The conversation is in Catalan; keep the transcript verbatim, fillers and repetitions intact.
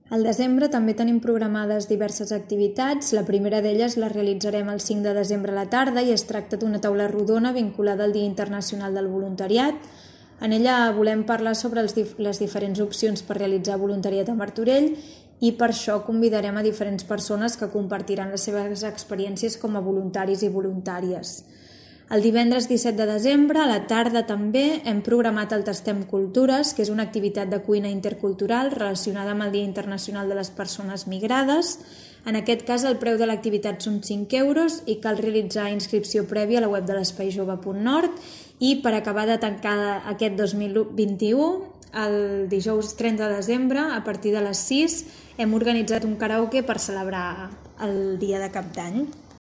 Al desembre també tenim programades diverses activitats. La primera d'elles la realitzarem el cinc de desembre a la tarda i es tracta d'una taula rodona vinculada al Dia Internacional del Voluntariat. En ella volem parlar sobre els dif- les diferents opcions per realitzar voluntariat a Martorell i per això convidarem a diferents persones que compartiran les seves experiències com a voluntaris i voluntàries. El divendres disset de desembre, a la tarda també, hem programat el Tastem Cultures, que és una activitat de cuina intercultural relacionada amb el Dia Internacional de les Persones Migrades. En aquest cas, el preu de l'activitat són cinc euros i cal realitzar inscripció prèvia a la web de l'espai jove punt nord i per acabar de tancar aquest dos mil vint-i-u, el dijous trenta de desembre, a partir de les sis, hem organitzat un karaoke per celebrar el dia de Cap d'Any.